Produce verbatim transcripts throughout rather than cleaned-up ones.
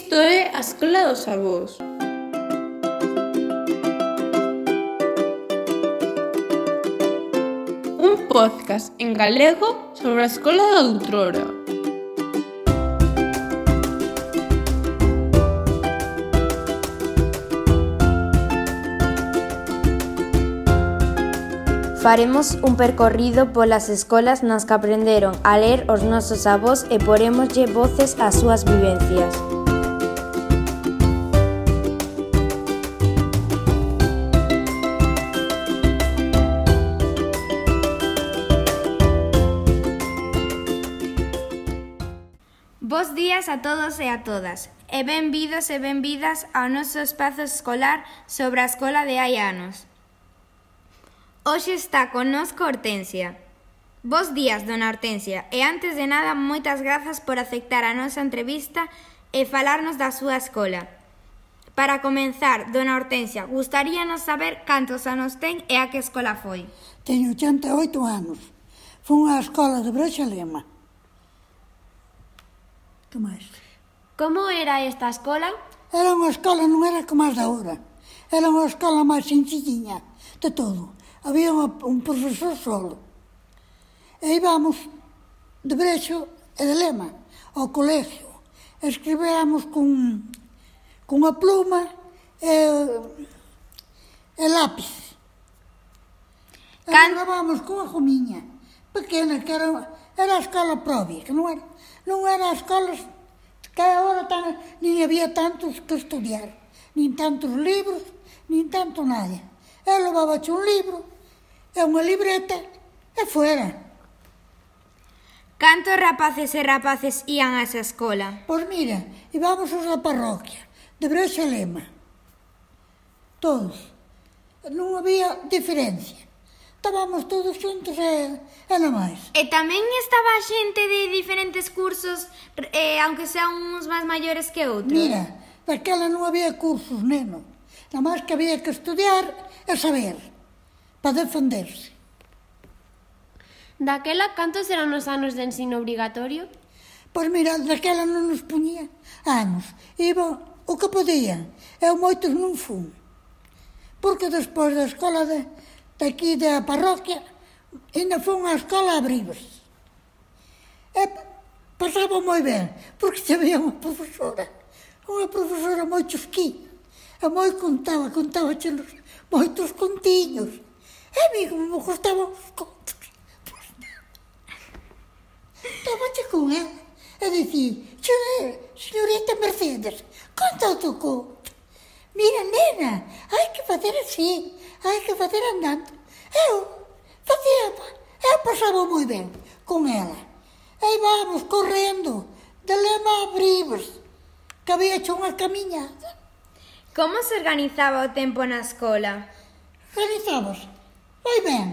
Isto é a Escola dos Avós. Un podcast en galego sobre a escola da outrora. Faremos un percorrido polas escolas nas que aprenderon a ler os nosos avós e porémoslle voces ás súas vivencias. Bos días a todos e a todas, e benvidos e benvidas ao noso espazo escolar sobre a escola de hai anos. Hoxe está connosco Hortensia. Bos días, dona Hortensia, e antes de nada, moitas grazas por aceptar a nosa entrevista e falarnos da súa escola. Para comenzar, dona Hortensia, gustaríanos saber cantos anos ten e a que escola foi. Teño ochenta e oito anos. Fun á escola de Brexalema. Que máis? Como era esta escola? Era unha escola, non era como as da hora. Era unha escola máis sencilliña de todo. Había un profesor solo. E íbamos de Brexo e de Lema ao colegio. Escribíamos con, con a pluma e, e lápiz. E Can... gravábamos con a gomiña pequena, que era, era a escola propia, que non era, non era a escola que agora tan, nin había tantos que estudiar, nin tantos libros, nin tanto nada. Eu levabache un libro e unha libreta e fuera. Cantos rapaces e rapaces ían a esa escola? Pois mira, íbamos os da parroquia, de Brexalema. Todos. Non había diferencia. Estábamos todos xuntos e, e non máis. E tamén estaba xente de diferentes cursos, eh, aunque sean uns máis maiores que outros? Mira, daquela non había cursos, neno. Nada máis que había que estudiar e saber, para defenderse. Daquela, cantos eran os anos de ensino obrigatorio? Pois mira, daquela non nos puñía anos. Iba o que podían. Eu moitos non fun. Porque despois da escola de, de aquí da parroquia, ainda fun á escola a Bribes. E pasaba moi ben, porque había unha profesora, unha profesora moi chusquinha. E moi contaba, contaba chelos moitos contiños. E a mí como me gustaban os contos. Estábache con ela e dicía: señorita Mercedes, conta outro conto. Mira, nena, hai que facer así, hai que facer andando. Eu facía, eu pasaba moi ben con ela. E íbamos correndo de Lema a Bribes, que había hecho unha camiñada. Como se organizaba o tempo na escola? Organizamos moi ben.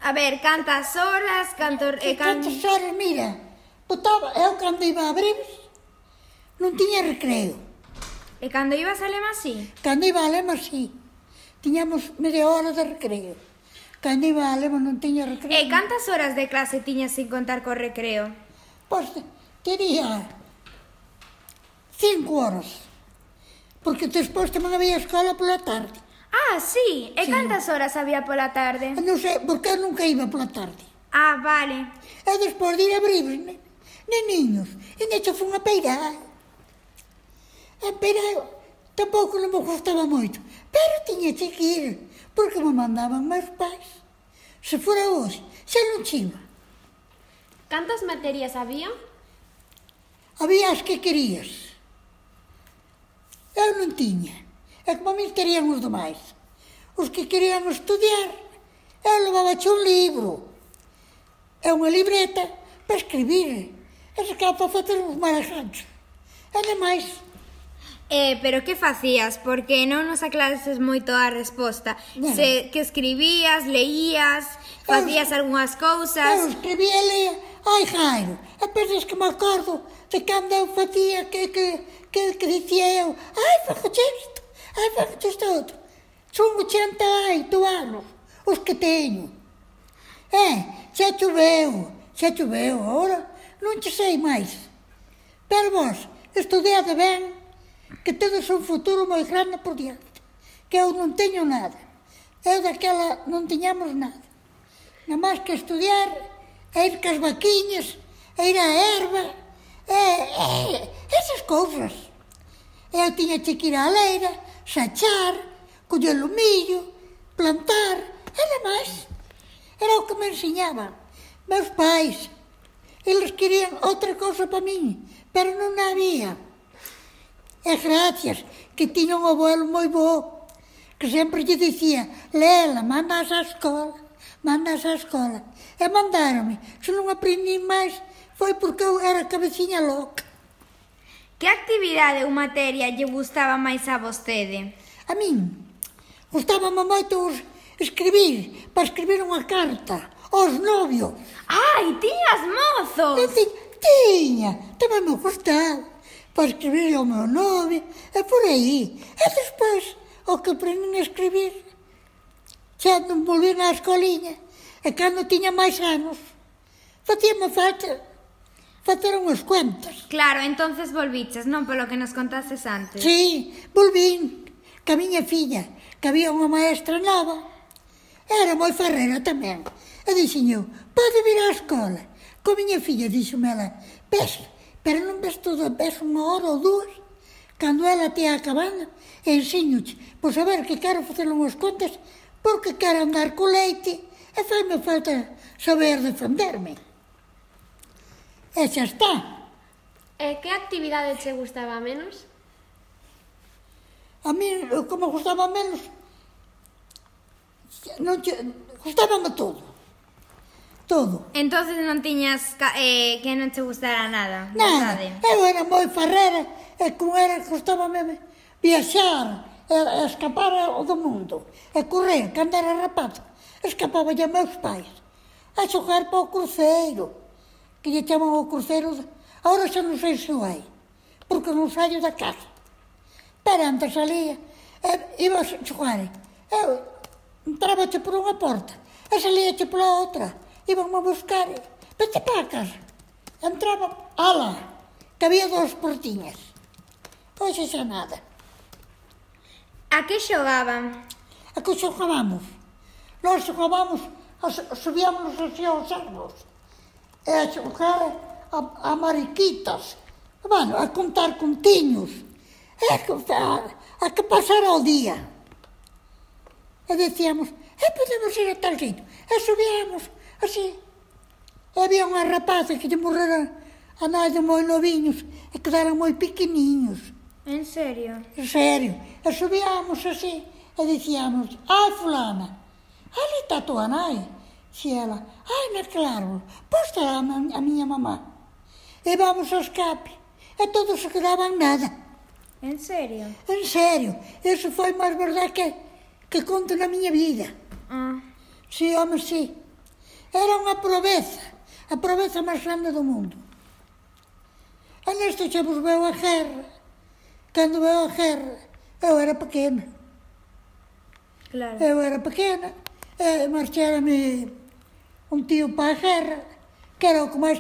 A ver, cantas horas, canto... E Eh, can... cantas horas, mira, botaba, eu cando iba a Bribes non tiña recreo. E cando ibas a Lema, sí? Cando iba a Lema, sí. Tiñamos media hora de recreo. Cando iba a Lema non tiña recreo. E cantas horas de clase tiñas sin contar co recreo? Pois tería cinco horas. Porque despois tamén había escola pola tarde. Ah, sí. E Sí. cantas horas había pola tarde? Non sei, porque eu nunca iba pola tarde. Ah, vale. E despois de ir a Bribes, ne, neniños, e necho fun a peirar. A peirar tampouco non me gustaba moito, pero tiña que ir, porque me mandaban meus pais. Se fora hoxe, xa non chiva. Cantas materias había? Había as que querías. Eu non tiña. E como a mí terían os demais. Os que querían estudiar, eu levabache un libro. E unha libreta para escribir. E sacaba para facer uns marajanchos. E demais. Eh, pero que facías? Porque non nos aclarases moito a resposta. Bueno. Se, que escribías, leías, facías Eu- algunhas Eu cousas... escribía e leía, ai Jairo, e pensas que me acordo de cando eu facía que, que, que, que dicía eu, ai, fagoche isto, ai, fagoche isto outro. Son ochenta e oito anos, os que teño. Eh, xa choveu, xa choveu, agora non che sei máis. Pero vos, estudiade ben que tedes un futuro moi grande por diante, que eu non teño nada. Eu daquela non tiñamos nada. Nada máis que estudiar, e ir cas vaquiñas, e ir á erva, e, e esas cousas. Eu tiña que ir á leira, sachar, coller o millo, plantar, era máis. Era o que me enseñaban meus pais. Eles querían outra cousa para min, pero non había. E gracias que tiña un abuelo moi bo, que sempre lle dicía: Lela, mandas á escola, mandas á escola. E mandaronme. Se non aprendi máis, foi porque eu era cabeciña loca. Que actividade ou materia lle gustaba máis a vostede? A min gustábame moito escribir, para escribir unha carta aos novios. Ai, tiñas mozos! E ti, tiña, tamén me gustaba, para escribir ao meu novio, e por aí. E despois, o que aprendín a escribir, xa non volví na escoliña, e cando tiña máis anos, facíame falta facer unhas cuentas. Claro, entonces volviches, non polo que nos contases antes. Sí, volvín, que a miña filla, que había unha maestra nova, era moi ferrera tamén. E dixen, pode vir á escola. Co miña filla, dixome ela, ves, pero non ves todo, ves unha hora ou dúas, cando ela te acabando, e enseñoche, pois a ver que quero facer unhas contas, porque quero andar co leite, e faime falta saber defenderme. E xa está. E que actividade che gustaba menos? A mí, como gustaba menos, non che, gustábame todo. Todo. Entonces non tiñas eh, que non te gustara nada, Nada, verdade? eu era moi ferrera, e como era, gustábame viaxar, e, e escapar do mundo, e correr, cando era rapaz, escapaba a meus pais, a xogar para o cruceiro, que lle chaman o cruceiro, agora xa non sei se o hai, porque non saio da casa. Pero antes salía, e iba a xogar, eu entraba por unha porta, e salía pola outra, iban a buscar, vete para a casa. Entraba, ala, que había dos portiñas. Hoxe xa nada. A que xogaban? A que xogábamos? Nós xogábamos, subíamos así aos árbos, e a xogar a, a mariquitas, bueno, a contar contiños, e a, a, a que pasara o día. E decíamos, e podemos ir a tal sitio, e subíamos, así. E había unha rapaza que lle morreran a nai de moi noviños e quedaran moi pequeniños. En serio? En serio. E subíamos así e dicíamos, ai fulana, ali está a tua nai. Si ela, ai naquele árbol, pois está a, a miña mamá. E vamos ao escape. E todos se quedaban nada. En serio? En serio. Eso foi máis verdade que, que conto na miña vida. Ah. Si, home, si. Era unha proveza, a proveza máis grande do mundo. E nesto xa vos veo a guerra. Cando veo a guerra, eu era pequena. Claro. Eu era pequena, e marchárame un tío para a guerra, que era o que máis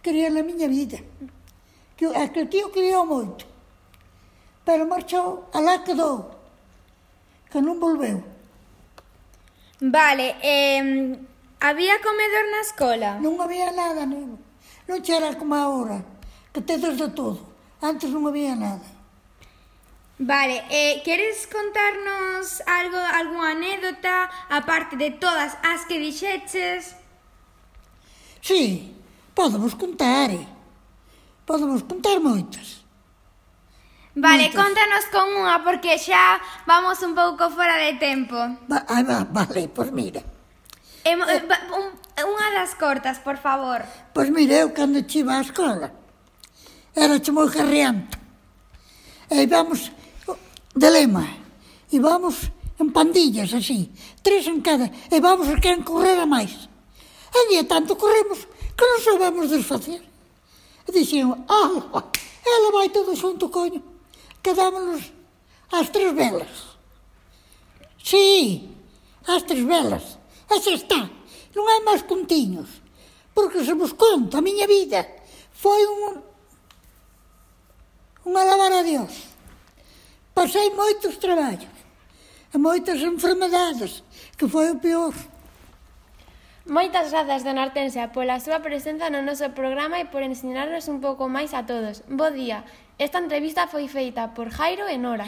quería na miña vida. Que aquel tío quería moito, pero marchou, alá quedou, que non volveu. Vale, eh, había comedor na escola? Non había nada, non. Non era como agora, que tedes de todo. Antes non había nada. Vale, eh, queres contarnos algo, algunha anécdota, aparte de todas as que dixeches? Sí, podemos contar, eh? Podemos contar moitas. Vale, Moitas. contanos con unha, porque xa vamos un pouco fora de tempo. Va, ah, va, vale, pois mira. Eh, eh, un, unha das cortas, por favor. Pois mira, eu cando chiva á escola, era moi garreante. E íbamos de lema, íbamos en pandillas así, tres en cada, e vamos a quen correra máis. E día tanto corremos que non sabemos desfacer. E dixen, ah, ela vai todo xunto, coño. Quedámonos ás tres velas. Sí, ás tres velas. E xa está, non hai máis contiños. Porque se vos conto, a miña vida foi un, un alabar a Dios. Pasei moitos traballos e moitas enfermedades, que foi o peor. Moitas grazas, dona Hortensia, pola súa presenza no noso programa e por ensinarnos un pouco máis a todos. Bo día. Esta entrevista foi feita por Jairo e Nora.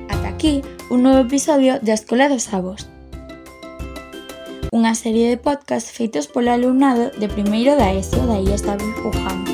Ata aquí un novo episodio da Escola dos Avós. Unha serie de podcast feitos polo alumnado de primeiro da ESO da I E S David Wuhan.